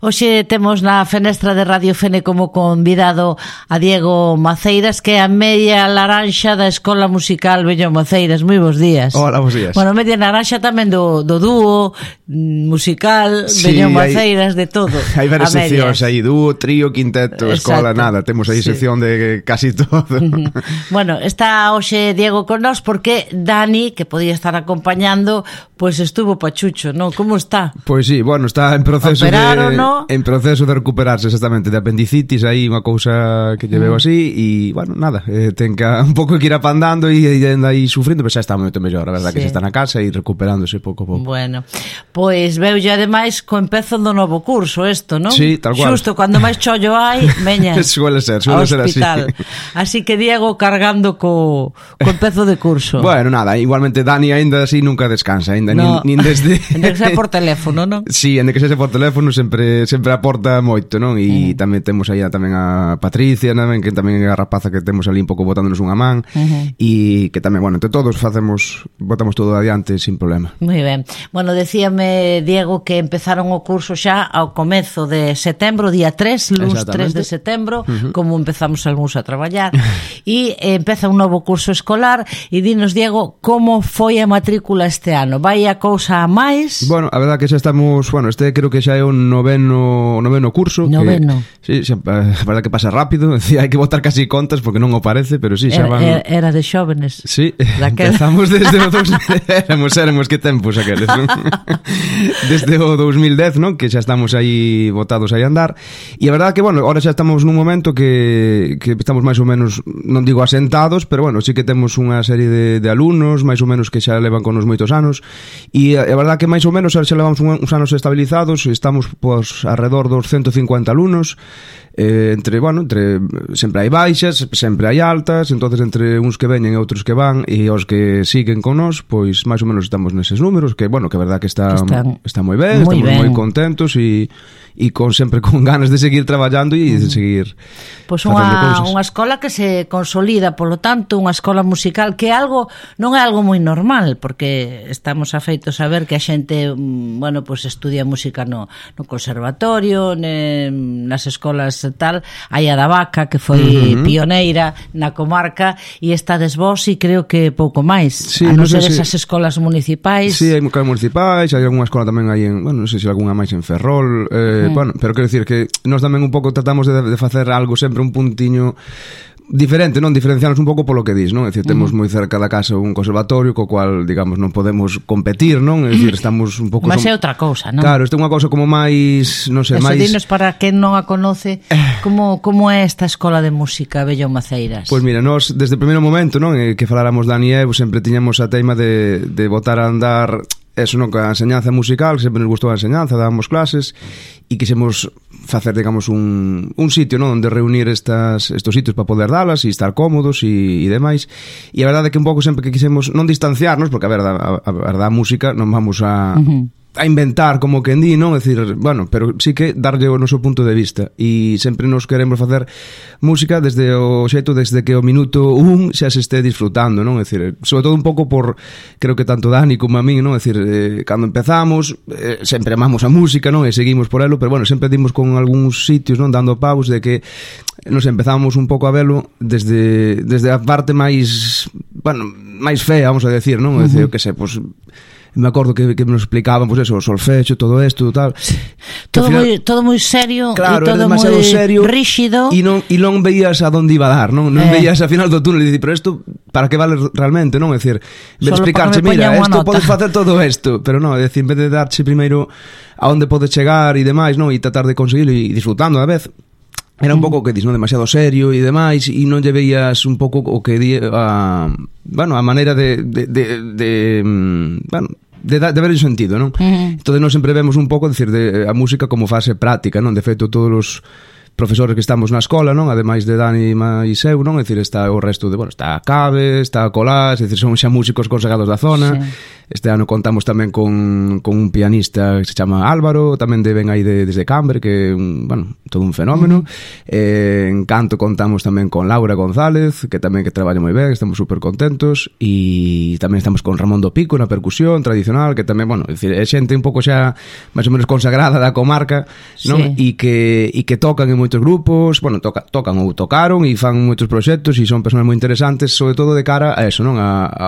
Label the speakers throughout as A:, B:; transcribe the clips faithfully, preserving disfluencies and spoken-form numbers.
A: Hoxe temos na fenestra de Radio Fene como convidado a Diego Maceiras, que é a media laranxa da Escola Musical Bello Maceiras. Moi bons días.
B: Hola, bons días.
A: Bueno, media laranxa tamén do, do dúo musical, sí, Bello Maceiras, hai, de todo.
B: Hai varias seccións aí, dúo, trío, quinteto, escola, nada. Temos aí sí. sección de casi todo.
A: Bueno, está hoxe Diego con nós porque Dani, que podía estar acompañando, pois pues estuvo pachucho, non? Como está?
B: Pois pues sí, bueno, está en proceso
A: Operaron,
B: de...
A: ¿no?
B: En proceso de recuperarse exactamente de apendicitis, aí unha cousa que lle veo así e, bueno, nada, eh, ten que un pouco que ir apandando e, e anda aí sufrindo, pero xa está moito mellor, a verdad, sí. Que xa está na casa e recuperándose pouco a pouco.
A: Bueno, pois veu ya ademais co empezo do novo curso isto, non?
B: Sí, tal cual.
A: Xusto cando máis chollo hai, veña
B: suele ser, suele ser así.
A: Así que Diego cargando co, co empezo de curso.
B: Bueno, nada, igualmente Dani ainda así nunca descansa, ainda
A: no.
B: nin, nin desde...
A: Ende que sea por teléfono, non?
B: Sí, ende que sea por teléfono sempre sempre aporta moito, non? E uh-huh. tamén temos aí tamén a Patricia, tamén, que tamén é a rapaza que temos ali un pouco botándonos unha man, uh-huh. e que tamén, bueno, entre todos facemos, botamos todo adiante sin problema.
A: Moi ben. Bueno, decíame Diego que empezaron o curso xa ao comezo de setembro, día tres, luz tres de setembro, uh-huh. como empezamos algúns a traballar, e empeza un novo curso escolar, e dinos, Diego, como foi a matrícula este ano? Vai a cousa a máis?
B: Bueno, a verdad que xa estamos, bueno, este creo que xa é un noveno, noveno curso.
A: Noveno.
B: Que, sí, xa, a verdad que pasa rápido, hai que botar casi contas porque non o parece, pero sí, xa van...
A: Era, era de xóvenes.
B: Sí, empezamos desde o dos... éramos, éramos, que tempos aqueles, non? Desde o dos mil dez, non? Que xa estamos aí botados aí a andar, e a verdad que, bueno, ahora xa estamos nun momento que, que estamos máis ou menos, non digo asentados, pero bueno, sí que temos unha serie de, de alumnos, máis ou menos que xa levan con nos moitos anos, e a, a verdad que máis ou menos xa levamos uns anos estabilizados, estamos pues alrededor dos ciento cincuenta alumnos, eh, entre, bueno, entre sempre hai baixas, sempre hai altas, entonces entre uns que veñen e outros que van e os que siguen con nós, pois máis ou menos estamos neses números, que bueno, que a verdad que está que están, está moi ben, moi estamos ben. Moi contentos e e con sempre con ganas de seguir traballando e de seguir
A: pois pues unha, unha escola que se consolida, polo tanto, unha escola musical que é algo, non é algo moi normal, porque estamos afeitos a ver que a xente, bueno, pois pues estudia música no, no conservatorio, ne, nas escolas tal, hai a da Vaca que foi uh-huh. pioneira na comarca, e estades vos e creo que pouco máis, sí, a non ser si... esas escolas municipais.
B: Sí, hai escolas municipais, hai algunha escola tamén aí en, bueno, non sei se algunha máis en Ferrol, eh, mm. bueno, pero quero dicir que nós tamén un pouco tratamos de, de facer algo sempre un puntiño diferente, non? Diferenciarnos un pouco polo que dis, non? É dicir, temos moi cerca da casa un conservatorio co cual, digamos, non podemos competir, non? É dicir, estamos un pouco...
A: Mas é outra cousa, non?
B: Claro, isto é unha cousa como máis, non sei,
A: Eso,
B: máis...
A: dinos para quen non a conoce, como, como é esta escola de música Bello Maceiras?
B: Pois mira, nós, desde o primeiro momento, non? Que faláramos Dani e eu, sempre tiñamos a teima de, de botar a andar... Eso, non, que a enseñanza musical, sempre nos gustou a enseñanza, dábamos clases e quixemos facer, digamos, un, un sitio, non, onde reunir estas, estos sitios para poder dalas e estar cómodos e, e demais. E a verdade é que un pouco sempre que quixemos non distanciarnos, porque a verdade, a, a verdade a música non vamos a... Uh-huh. a inventar como que en di, non? É dicir, bueno, pero sí que darlle o noso punto de vista e sempre nos queremos facer música desde o xeito, desde que o minuto un xa se este disfrutando, non? É dicir, sobre todo un pouco por, creo que tanto Dani como a min, non? É dicir, eh, cando empezamos eh, sempre amamos a música, non? E seguimos por elo, pero bueno, sempre dimos con algúns sitios, non? Dando paus de que nos empezamos un pouco a velo desde, desde a parte máis, bueno, máis fea, vamos a decir, non? É dicir, uh-huh. que sei, pois... me acordo que, que nos explicaban pues eso, o solfecho, todo isto, tal.
A: Todo moi todo moi serio,
B: claro,
A: e todo moi
B: serio,
A: rígido.
B: E non e non veías a onde iba a dar, non? Non eh. veías a final do túnel e dicir, pero isto para que vale realmente, non? É dicir, de explicarche, mira, isto podes facer todo isto, pero non, é dicir, en vez de darche primeiro a onde podes chegar e demais, non? E tratar de conseguirlo e disfrutando a vez. Era un pouco o que dis, non? Demasiado serio e demais, e non lle veías un pouco o que di a, bueno, a maneira de de de, de bueno, de, de ver o sentido, non? Uh-huh. Entón, nós sempre vemos un pouco, decir, de, a música como fase práctica, non? De feito, todos os profesores que estamos na escola, non? Ademais de Dani e eu, non? É dicir, está o resto de, bueno, está Cabe, está Colás, é dicir, son xa músicos consagrados da zona. Sí. Este ano contamos tamén con, con un pianista que se chama Álvaro, tamén de ven aí de, desde Cambre, que é un, bueno, todo un fenómeno. Uh-huh. Eh, en canto contamos tamén con Laura González, que tamén que traballa moi ben, estamos super contentos, e tamén estamos con Ramón do Pico na percusión tradicional, que tamén, bueno, é dicir, é xente un pouco xa máis ou menos consagrada da comarca, non? E sí. que e que tocan en moitos grupos, bueno, toca, tocan ou tocaron e fan moitos proxectos e son persoas moi interesantes, sobre todo de cara a eso, non? A, a,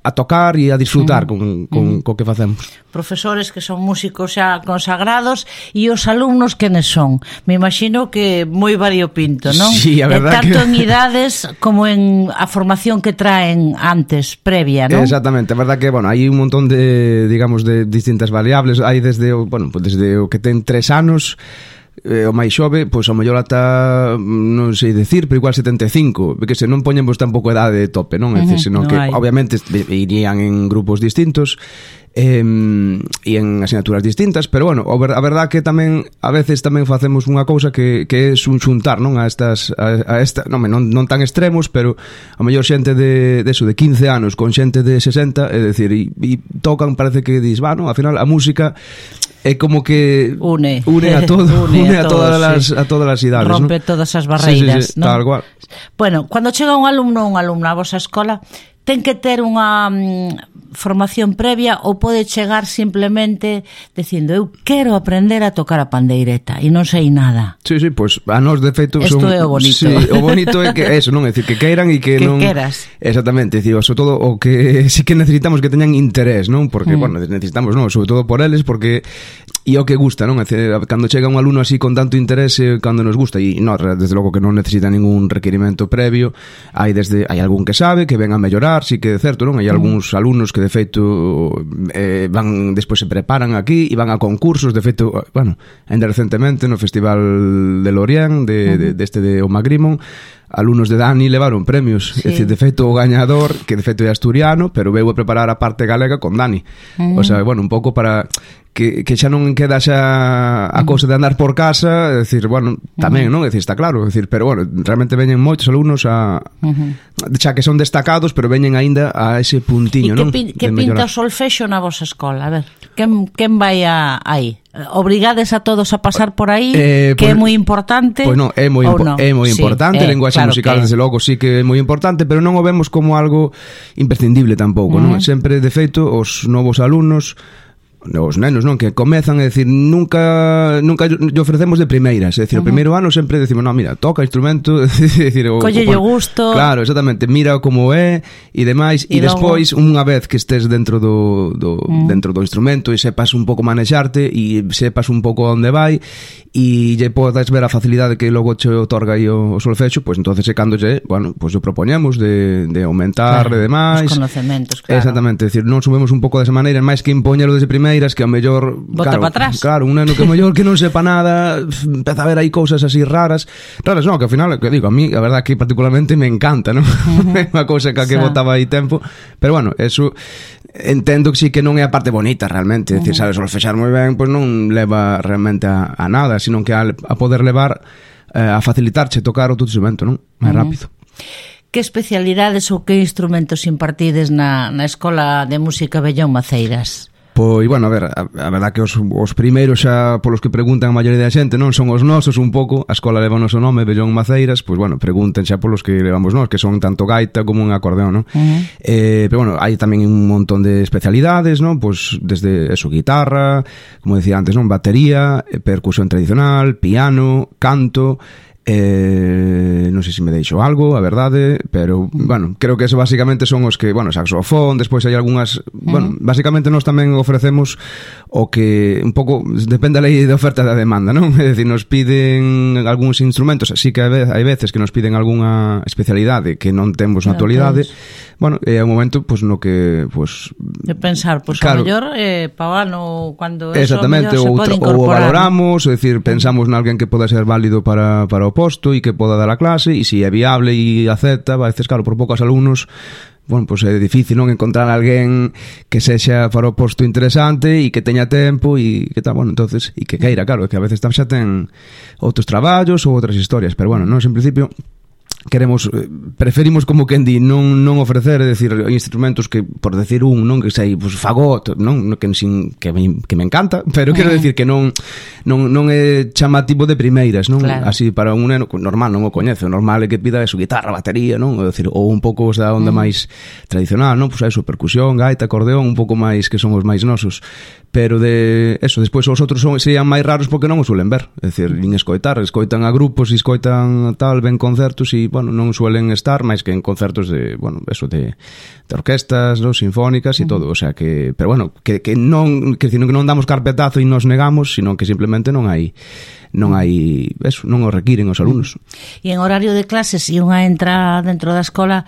B: a tocar e a disfrutar uh-huh. con con, co que facemos.
A: Profesores que son músicos xa consagrados e os alumnos quenes son? Me imagino que moi variopinto, non?
B: Sí, a verdad
A: tanto
B: que...
A: en idades como en a formación que traen antes, previa, non?
B: Exactamente, a verdad que, bueno, hai un montón de, digamos, de distintas variables. Hai desde, bueno, pues desde o que ten tres anos, eh, o máis xove, pois ao mellor ata, non sei decir, pero igual setenta e cinco, porque se non poñemos tampouco edade de tope, non? É dicir, senón
A: no
B: que
A: hai.
B: Obviamente irían en grupos distintos e eh, en asignaturas distintas, pero bueno, a verdad que tamén a veces tamén facemos unha cousa que, que é un xuntar, non? A estas a, a esta, non, non, non tan extremos, pero a mellor xente de, de eso, de quince anos con xente de sesenta, é dicir, e, e tocan, parece que dis, va, non? Ao final a música é como que
A: une,
B: une a todo, une, une a, a todos, todas las sí. a todas as idades,
A: rompe, ¿no? Todas as barreiras,
B: sí, sí, sí,
A: ¿no?
B: Tal cual.
A: Bueno, cando chega un alumno ou unha alumna a vosa escola, ten que ter unha mm, formación previa ou pode chegar simplemente dicindo eu quero aprender a tocar a pandeireta e non sei nada.
B: Sí, sí, pois pues, a nós de feito
A: son... Isto é o bonito.
B: Sí, o bonito é que eso, non é dicir que queiran e que,
A: que
B: non...
A: queras.
B: Exactamente, dicir, sobre todo o que sí que necesitamos que teñan interés, non? Porque, mm. bueno, necesitamos, non, sobre todo por eles, porque e o que gusta, non? É dicir, cando chega un alumno así con tanto interese, cando nos gusta, e non, desde logo que non necesita ningún requerimento previo, hai desde hai algún que sabe, que ven a mellorar, sí que é certo, non? Hai algúns alumnos que de feito eh, van, despois se preparan aquí e van a concursos, de feito, bueno, ainda recentemente no Festival de Lorient de, de, deste de Omagrimon, alumnos de Dani levaron premios, sí. É dicir, de feito o gañador, que de feito é asturiano, pero veu a preparar a parte galega con Dani. Mm. O sea, bueno, un pouco para que, que xa non queda xa a cousa de andar por casa, é dicir, bueno, tamén, non? É dicir, está claro, é dicir, pero bueno, realmente veñen moitos alumnos a uh-huh. xa que son destacados, pero veñen aínda a ese puntiño, non?
A: E que, que pinta o solfexo na vosa escola? A ver, quen, quen vai a, aí? Obrigades a todos a pasar por aí, eh, que pues, é moi importante.
B: Pois pues non, é moi impo-
A: no?
B: é moi sí, importante, eh, lenguaxe claro musical, que... desde logo, sí que é moi importante, pero non o vemos como algo imprescindible tampouco, uh-huh. non? Sempre, de feito, os novos alumnos, os nenos, non, que comezan, é dicir, nunca nunca lle ofrecemos de primeiras, é dicir, uh-huh. o primeiro ano sempre decimos, no, mira, toca instrumento, é dicir, o,
A: colle o gusto.
B: Claro, exactamente, mira como é e demais, e, e despois unha vez que estés dentro do, do uh-huh. dentro do instrumento e sepas un pouco manexarte e sepas un pouco onde vai e lle podes ver a facilidade que logo che otorga aí o, o solfexo, pois pues, entonces é cando lle, bueno, pois pues, o propoñemos de, de aumentar
A: claro,
B: e demais.
A: Os conocementos, claro.
B: Exactamente, é dicir, non subimos un pouco desa maneira, máis que impoñelo desde primeiras, que ao mellor
A: bota
B: claro,
A: para atrás.
B: Claro, un neno que ao mellor que non sepa nada, empeza a ver aí cousas así raras. Raras non, que ao final, que digo, a mí a verdad que particularmente me encanta, non? Uh-huh. É unha cousa que a que botaba aí tempo, pero bueno, eso entendo que sí que non é a parte bonita realmente, é dicir, uh-huh. sabes solfexar moi ben, pois pues non leva realmente a, a nada, sino que a, a poder levar eh, a facilitarche tocar o teu instrumento, non? Máis uh-huh. rápido.
A: Que especialidades ou que instrumentos impartides na, na Escola de Música Bellón Maceiras?
B: Pois, bueno, a ver, a, a verdad que os, os primeiros xa polos que preguntan a maioría da xente, non son os nosos un pouco, a escola leva o noso nome, Bellón Maceiras, pois, bueno, pregunten xa polos que levamos nós, que son tanto gaita como un acordeón, non? Uh-huh. Eh, pero, bueno, hai tamén un montón de especialidades, non? Pois, desde, eso, guitarra, como decía antes, non? Batería, percusión tradicional, piano, canto... Eh, non sei se me deixo algo, a verdade, pero, bueno, creo que eso basicamente son os que, bueno, saxofón, despois hai algunhas, uh-huh. bueno, basicamente nós tamén ofrecemos o que un pouco, depende da lei de oferta e da demanda, non? É dicir, nos piden algúns instrumentos, así que hai veces que nos piden algunha especialidade que non temos na actualidade, bueno, é un momento, pois, no que, pois...
A: De pensar, pois, claro, a mellor, eh, pa o ano, cando eso,
B: exactamente,
A: se pode incorporar.
B: Ou valoramos, é dicir, pensamos nalguen que poda ser válido para, para o posto e que poda dar a clase, e se é viable e acepta, a veces, claro, por poucos alumnos bueno, pois é difícil non encontrar alguén que sexa para o posto interesante e que teña tempo e que tal, bueno, entonces, e que queira, claro, que a veces xa ten outros traballos ou outras historias, pero bueno, non, en principio queremos, preferimos como quen di non, non ofrecer, é dicir, instrumentos que, por decir un, non, que sei, pues, fagot, non, que, sin, que, me, que me encanta, pero quero decir que non non, non é chamativo de primeiras, non? Claro. Así para un neno normal non o coñece, o normal é que pida eso, guitarra, batería, non? É dicir, ou un pouco da onda uh -huh. máis tradicional, non? Pois pues eso, percusión, gaita, acordeón, un pouco máis que son os máis nosos. Pero de eso, despois os outros son, serían máis raros porque non os suelen ver, é dicir, nin escoitar, escoitan a grupos, e escoitan tal, ven concertos e, bueno, non suelen estar máis que en concertos de, bueno, eso de, de orquestas, no, sinfónicas e uh -huh. todo, o sea que, pero bueno, que, que non, que, que non damos carpetazo e nos negamos, sino que simplemente non hai non hai, eso, non o requiren os alumnos.
A: E en horario de clases, se unha entra dentro da escola,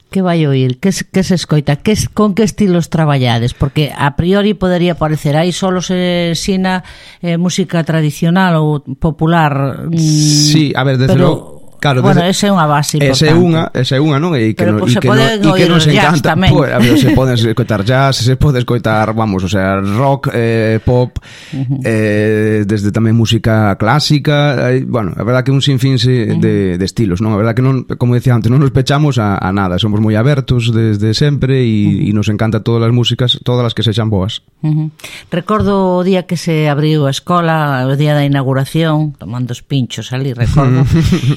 A: que vai oír? Que, que se escoita? Que, con que estilos traballades? Porque a priori podería parecer aí solo se ensina eh, música tradicional ou popular.
B: Sí, a ver, desde logo. Claro,
A: bueno, esa é unha base importante.
B: Esa é unha, esa é unha, non? E que
A: pero
B: no,
A: pues,
B: e que, no, e que nos encanta. Pues, a ver, se pode escoitar jazz, se pode escoitar, vamos, o sea, rock, eh, pop, uh -huh. eh, desde tamén música clásica, eh, bueno, a verdad que un sinfín se, uh -huh. de, de estilos, non? A verdad que non, como decía antes, non nos pechamos a, a nada, somos moi abertos desde sempre e, uh -huh. e nos encanta todas as músicas, todas as que sexan boas.
A: Uh -huh. Recordo o día que se abriu a escola, o día da inauguración, tomando os pinchos ali, recordo,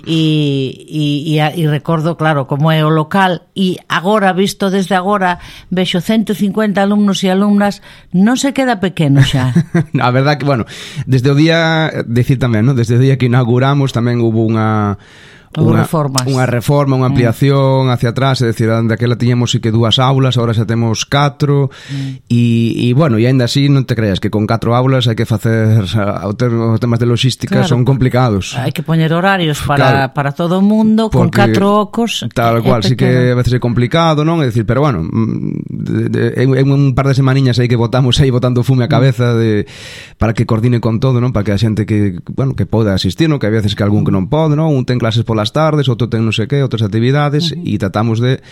A: e E, e, e recordo, claro, como é o local, e agora, visto desde agora, vexo ciento cincuenta alumnos e alumnas, non se queda pequeno xa.
B: A verdad que, bueno, desde o día, decir tamén, ¿no? Desde o día que inauguramos tamén hubo unha Unha, unha reforma, unha ampliación mm. hacia atrás, é dicir, daquela tiñamos sí que dúas aulas, agora xa temos catro mm. e, e, bueno, e ainda así non te creas que con catro aulas hai que facer os temas de logística, claro, son complicados.
A: Hai que poñer horarios para, claro, para todo o mundo, con catro ocos.
B: Tal cual, sí que a veces é complicado, non? É dicir, pero bueno, en un par de semaniñas aí que botamos aí botando fume a cabeza de, para que coordine con todo, non? Para que a xente que, bueno, que poda asistir, non? Que a veces que algún que non pode, non? Un ten clases pola as tardes, outro ten non sei que, outras actividades, e uh -huh. tratamos de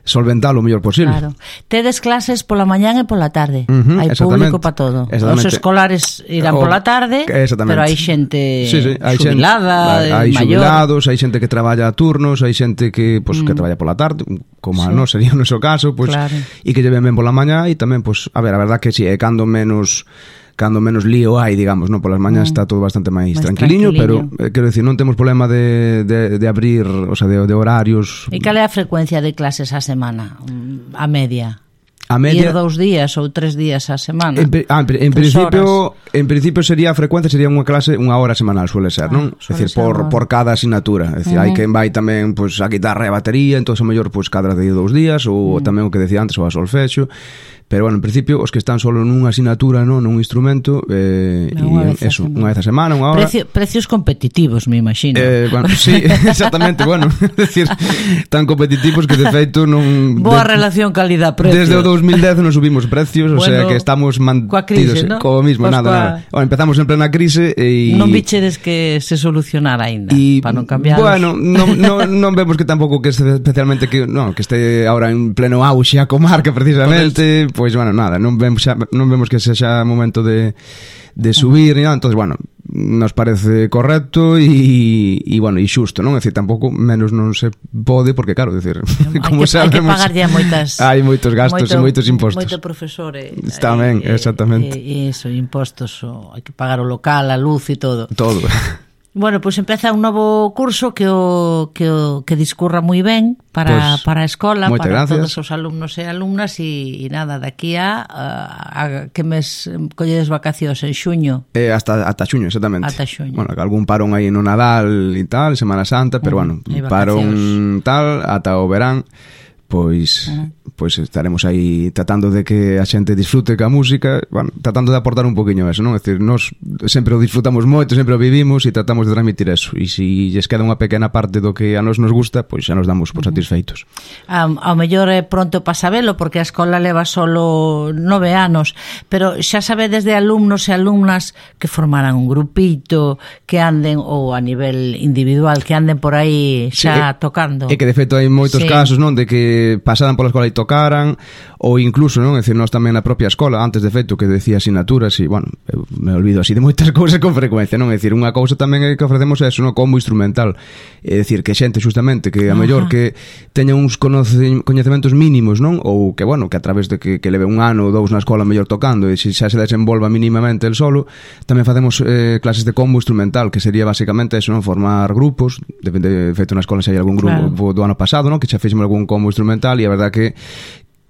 B: solventar o mellor posible.
A: Claro. Tedes clases pola mañán e pola tarde. Uh -huh, hai público para todo. Os escolares irán o, pola tarde, pero hai xente sí, sí, hai xubilada,
B: xente, hai xubilados, hai xente que traballa a turnos, hai xente que, pues, mm. que traballa pola tarde, como sí. a nós sería o noso caso, pues, claro. E que lleven ben pola mañá, e tamén, pues, a ver, a verdad que si, sí, é cando menos cando menos lío hai, digamos, non? Polas mañas mm. está todo bastante máis tranquiliño, pero eh, quero dicir, non temos problema de, de, de abrir, o sea, de, de horarios.
A: E cal é a frecuencia de clases á semana? A media?
B: A media,
A: ir dous días ou tres días á semana.
B: En, ah, en, en principio, en principio sería a frecuencia sería unha clase unha hora semanal suele ser, ah, non? É dicir, por por cada asignatura, é dicir, uh -huh. hai quen vai tamén pois pues, a guitarra e a batería, entonces a mellor pois pues, cada de dous días ou uh -huh. tamén o que decía antes o a solfexo. Pero, bueno, en principio, os que están solo nunha asignatura, non, nun instrumento, eh, e eso, unha vez a semana, unha hora.
A: Precio, precios competitivos, me imagino.
B: Eh, bueno, sí, exactamente, bueno, é dicir, tan competitivos que de feito non...
A: Boa
B: de,
A: relación calidad-precio.
B: Desde o dos mil dez non subimos precios, bueno, o sea que estamos mantidos crise, ¿no? Como mismo, pues nada, coa... nada. Bueno, empezamos en plena crise e...
A: Non bichedes que se solucionara aínda, para non cambiar.
B: Bueno, non, non, non vemos que tampouco que especialmente que, no, que este ahora en pleno auxe a comarca precisamente... Pois, bueno, nada, non vemos xa, non vemos que sexa momento de, de subir ni nada, entonces, bueno, nos parece correcto e, e bueno, e xusto, non? É dicir, tampouco menos non se pode, porque claro, decir, como
A: que,
B: sabemos,
A: hai que pagar ya moitas
B: hai moitos gastos moito, e moitos impostos.
A: Moito profesor e,
B: tamén,
A: e,
B: exactamente.
A: E, e eso, impostos, o, hai que pagar o local, a luz e todo.
B: Todo.
A: Bueno, pois pues empeza un novo curso que o que o que discurra moi ben para pues, para a escola, para gracias. Todos os alumnos e alumnas e, e nada, daqui a, a, a que mes colledes vacacións en xuño.
B: Eh, hasta ata xuño, exactamente.
A: Ata xuño.
B: Bueno, algún parón aí no Nadal e tal, Semana Santa, pero mm, bueno, parón tal ata o verán. Pois, uh -huh. pois estaremos aí tratando de que a xente disfrute ca música, bueno, tratando de aportar un poquinho eso, non? É dicir, nós sempre o disfrutamos moito, sempre o vivimos e tratamos de transmitir eso, e se lles queda unha pequena parte do que a nós nos gusta, pois xa nos damos por satisfeitos.
A: Uh -huh. um, ao mellor é pronto para sabelo, porque a escola leva solo nove anos, pero xa sabe desde alumnos e alumnas que formaran un grupito, que anden, ou a nivel individual, que anden por aí xa sí, tocando.
B: É que de feito hai moitos sí. casos, non? De que que pasaran pola escola e tocaran, ou incluso, non, é dicir, nós tamén na propia escola, antes de feito que decía asignaturas, e, bueno, eu me olvido así de moitas cousas con frecuencia, non, é dicir, unha cousa tamén é que ofrecemos é eso, non, como instrumental, é dicir, que xente justamente que a mellor que teña uns coñecementos mínimos, non, ou que, bueno, que a través de que, que leve un ano ou dous na escola mellor tocando, e se xa se desenvolva mínimamente el solo, tamén facemos eh, clases de combo instrumental, que sería basicamente eso, non, formar grupos, de, de feito na escola xa hai algún grupo claro. do ano pasado, non, que xa fixemos algún combo instrumental, e a verdad que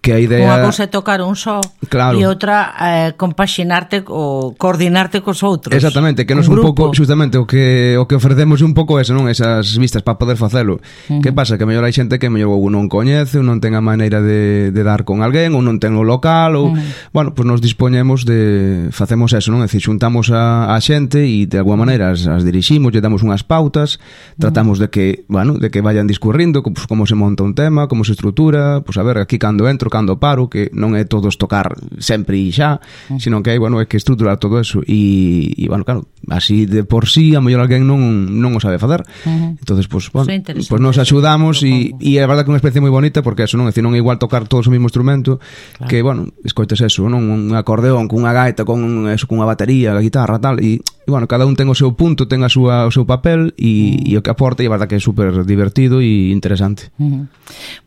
B: que a idea...
A: Unha cousa é tocar un só claro. e outra eh, compaxinarte ou coordinarte cos outros.
B: Exactamente, que nos un, un pouco justamente o que o que ofrecemos un pouco eso, non, esas vistas para poder facelo. Uh-huh. Que pasa? Que mellor hai xente que mellor ou non coñece, ou non ten a maneira de, de dar con alguén, ou non ten o local, ou uh-huh. bueno, pues nos dispoñemos de facemos eso, non? É dicir, xuntamos a, a xente e de alguma maneira as, as diriximos, lle damos unhas pautas, tratamos uh-huh. de que, bueno, de que vayan discurrindo pues, como se monta un tema, como se estrutura, pues a ver, aquí cando entro, cando paro, que non é todos tocar sempre e xa, uh-huh. sino que hai, bueno, é que estruturar todo eso e, e bueno, claro, así de por sí a mellor alguén non, non o sabe facer. Uh-huh. Entonces, pues, bueno, pues nos axudamos e, e é verdad que é unha experiencia moi bonita porque eso non é, dicir, non é igual tocar todos o mesmo instrumento claro. que, bueno, escoites eso, non, un acordeón, cunha gaita, con eso, cunha batería, a guitarra, tal, e, e bueno, cada un ten o seu punto, ten a súa, o seu papel e, uh-huh. e o que aporta, e é verdad que é super divertido e interesante.
A: Uh-huh.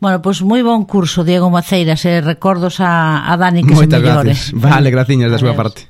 A: Bueno, pois pues, moi bon curso, Diego Maceiras, e recordos a, a Dani que
B: moitas
A: se mellore.
B: Gracias. Vale, graciñas da súa parte.